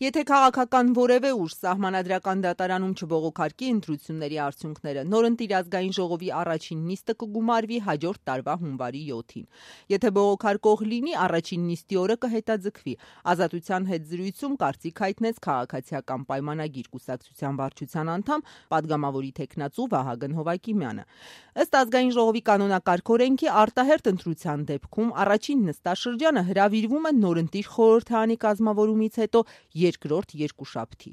Եթե քաղաքական որևէ ուժ սահմանադրական դատարանում չբողոքարկի ընտրությունների արդյունքները, նորընտիր ազգային ժողովի առաջին նիստը կգումարվի հաջորդ տարվա հունվարի 7-ին։ Եթե բողոքարկող լինի, առաջին նիստի օրը կհետաձգվի։ Ազատության հետ զրույցում կարծիք հայտնեց քաղաքացիական պայմանագիր կուսակցության վարչության անդամ, պատգամավորի թեկնածու Վահագն Հովակիմյանը։ Ըստ ազգային ժողովի կանոնակարգ օրենքի արտահերթ ընտրության դեպքում առաջին նստաշրջանը հրավիրվում է նորընտիր խորհրդարանի կազմավորումից հետո երկրորդ երկուշաբթի։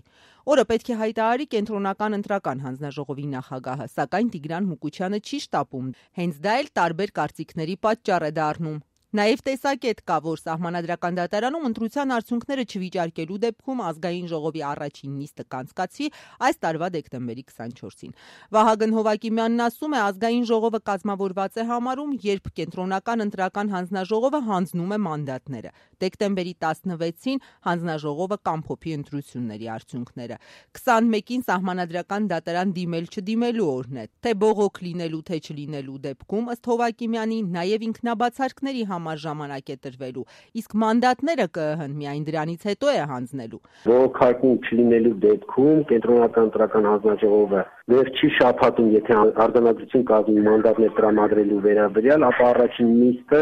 Օրը պետք է հայտարարի կենտրոնական ընտրական հանձնաժողովի նախագահը, սակայն Տիգրան Մուկուչյանը չի շտապում։ Հենց դա էլ տարբեր կարծիքների պատճառ է դառնում։ Նաև տեսակետ կա, որ սահմանադրական դատարանում ընտրության արդյունքները չվիճարկելու դեպքում ազգային ժողովի առաջին նիստը կանցկացվի այս տարվա դեկտեմբերի 24-ին։ Վահագն Հովակիմյանն ասում է, ազգային ժողովը կազմավորված է համարում, երբ կենտրոնական ընտրական հանձնաժողովը հանձնում է մանդատները։ Դեկտեմբերի 16-ին հանձնաժողովը կամփոփի ընտրությունների արդյունքները։ 21-ին սահմանադրական դատարան դիմել-չդիմելու օրն է, թե բողոք լինելու, թե չլինելու դեպքում, ըստ Հովակիմյանի, նաև ինքնաբացարկների համար ժամանակ է տրվելու, իսկ մանդատները ԿԸՀ-ն միայն դրանից հետո է հանձնելու։ Բողոքարկում չլինելու դեպքում կենտրոնական ընտրական հանձնաժողովը վերջի շաբաթում, եթե արձանագրություն կազմի մանդատներ տրամադրելու վերաբերյալ, ապա առաջին նիստը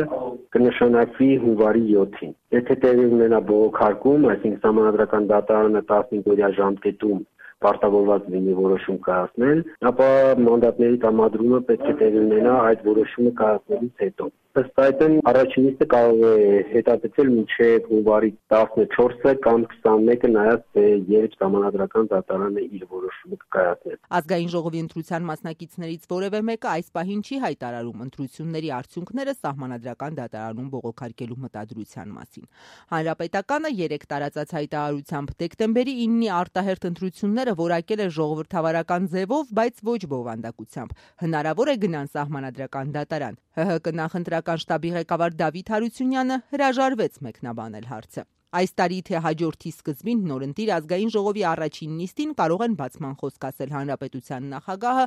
կնշանակվի հունվարի 7-ին։ Եթե տեղի ունենա բողոքարկում, այսինքն սահմանադրական դատարանը 15-օրյա ժամկետում պարտավորված լինի որոշում կայացնել, ապա մանդատների տրամադրումը պետք է տեղի ունենա այդ որոշումը կայացնելուց հետո։ Ըստ այդմ առաջին նիստը կարող է հետաձգվել մինչև հունվարի 14-ը կամ 21-ը, նայած թե երբ սահմանադրական դատարանը իր որոշումը կկայացնի։ Ազգային ժողովի ընտրության մասնակիցներից որևէ մեկը այս պահին չի հայտարարում ընտրությունների արդյունքները սահմանադրական դատարանում բողոքարկելու մտադրության մասին։ Հանրապետականը 3 տարածած հայտարարությամբ դեկտեմբերի 9-ի արտահերթ ընտրությունները որակել է ժողովրդավարական ձևով, բայց ոչ բովանդակությամբ։ Հնարավոր է գնան սահմանադրական դատարան։ ՀՀԿ նախընտրական շտաբի ղեկավար Դավիթ Հարությունյանը հրաժարվեց մեկնաբանել հարցը։ Այս տարի թե հաջորդի սկզբին նորընտիր ազգային ժողովի առաջին նիստին կարող են բացման խոսք ասել հանրապետության նախագահը,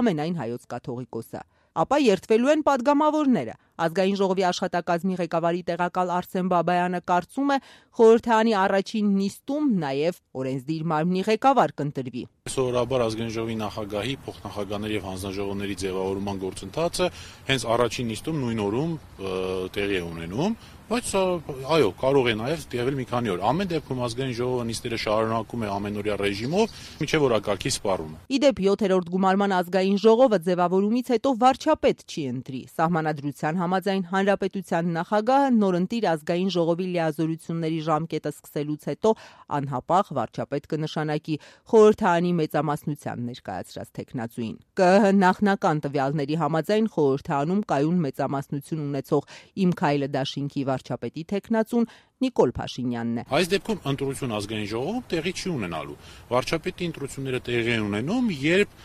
ամենայն հայոց կաթողիկոսը։ Ապա երդվելու են պատգամավորները։ Ազգային ժողովի աշխատակազմի ղեկավարի տեղակալ Արսեն Բաբայանը կարծում է, խորհրդարանի առաջին նիստում նաև օրենսդիր մարմնի ղեկավար կընտրվի։ Սովորաբար ազգային ժողովի նախագահի, փոխնախագահների եւ հանձնաժողովների ձևավորման գործընթացը հենց առաջին նիստում նույն օրում տեղի է ունենում, բայց այո, կարող է նաև տևել մի քանի օր։ Ամեն դեպքում ազգային ժողովը նիստերը շարունակում է ամենօրյա ռեժիմով, մինչև օրակարգի սպառումը։ Իդեպ 7-րդ գումարման ազգային ժողովը ձևավորումից հետո վարչապետ չի ընտրի։ Սահմանադրության համաձայն հանրապետության նախագահը նորընտիր ազգային ժողովի լիազորությունների ժամկետը սկսելուց հետո անհապաղ վարչապետ կնշանակի խորհրդարանի մեծամասնության ներկայացրած թեկնածուին։ ԿԸՀ նախնական տվյալների համաձայն խորհրդարանում կայուն մեծամասնություն ունեցող Իմ քայլը դաշինքի վարչապետի թեկնածուն Նիկոլ Փաշինյանն է։ Այս դեպքում ընտրություն ազգային ժողովում տեղի չի ունենալու։ Վարչապետի ընտրությունները տեղի են ունենում, երբ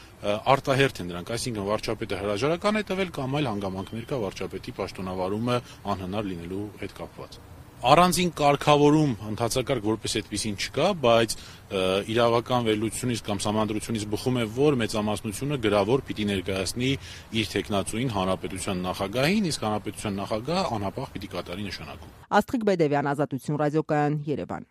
արտահերթ են դրանք, այսինքն վարչապետը հրաժարական է տվել կամ այլ հանգամանքներ կա վարչապետի պաշտոնավարումը անհնար լինելու հետ կապված։ Առանձին կարգավորում ընդհանրակարգ որպես այդպեսին չկա, բայց իրավական վերլուծությունից կամ սահմանադրությունից բխում է, որ մեծամասնությունը գրավոր պիտի ներկայացնի իր թեկնածուին հանրապետության նախագահին, իսկ հանրապետության նախագահը անհապաղ պիտի կատարի նշանակում։ Աստղիկ Բեդևյան, Ազատություն ռադիոկայան, Երևան։